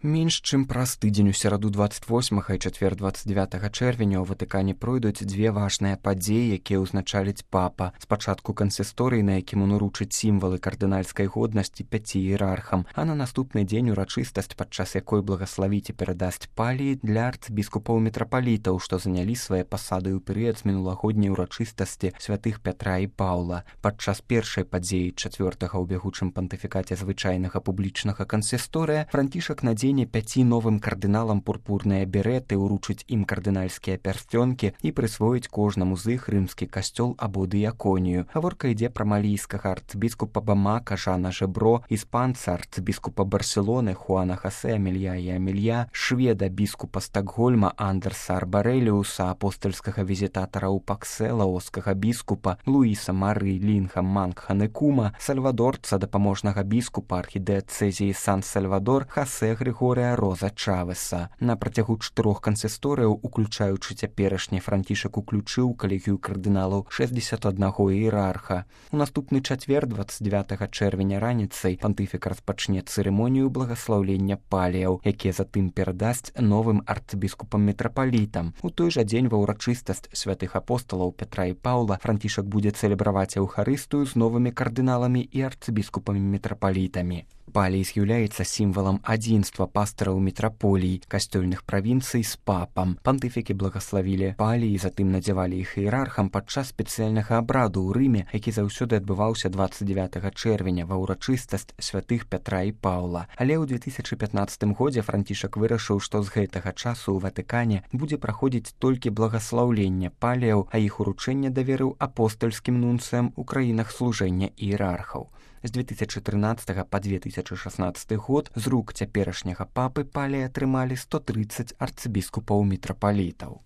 Менш чым праз тыдзень у сераду 28 і чацвер 29 чэрвеня ў Ватыкане пройдуць дзве важныя падзеі, якія ўзначаліць папа. Спачатку кансісторый, на якім он уручыць сімвалы кардынальскай годнасці 5 іерархам, а на наступны дзень урачыстасць, падчас якой благаславіць і перадасць паліі для арцыбіскупаў-мітрапалітаў, што занялі свае пасады ў перыяд з мінулагодняй урачыстасці святых Пятра і Паўла. Падчас першай падзеі 4-га ў бягучым пантыфікаце звычайнага публічнага кансісторыя Францішак надзене 5 новым кардыналам пурпурныя береты, уручыць ім кардынальскія пярсцёнкі і прысвоіць кожнаму з іх рымскі касцёл або дыяконію. Гаворка ідзе пра малійскага арцыбіскупа Бамака Жана Жебро, іспанца арцыбіскупа Барселоны Хуана Хосе Амелья і Амелья, шведа біскупа Стакгольма Андерса Арбареліуса, апостольскага візітатара ў Паксе лаоскага біскупа Луіса Мары Лінха Мангханекума, сальвадорца дапаможнага біскупа архідыацэзіі Сан-Сальвадор Хосе Григорія Роза Чавеса. На працягу 4 кансісторыяў, уключаючы цяперашні, Францішак уключыў калегію кардыналаў 61 іерарха. У наступны чацвер 29 чэрвеня раніцай пантыфік распачне цырымонію благаслаўлення паліяў, якія затым перадасць новым арцыбіскупам-мітрапалітам. У той жа дзень ва ўрачыстасць святых апосталаў Пятра і Паўла Францішак будзе цэлебраваць еўхарыстыю з новымі кардыналамі і арцыбіскупамі-мітрапалітамі. Палій з'яўляецца сімвалам адзінства пастыраў мітраполій, касцёльных правінцый з папам. Пантыфікі благаславілі палій, затым надзявалі іх іерархам падчас спецыяльнага абраду ў Рыме, які заўсёды адбываўся 29 чэрвеня ва ўрачыстасць святых Пятра і Паўла. Але ў 2015 годзе Францішак вырашыў, што з гэтага часу ў Ватыкане будзе праходзіць толькі благаслаўленне паліяў, а іх уручэнне даверыў апостальскім нунцыям у краінах служэння іерархаў. З 2013 па 2016 год з рук цяперашняга папы паліі атрымалі 130 арцыбіскупаў-мітрапалітаў.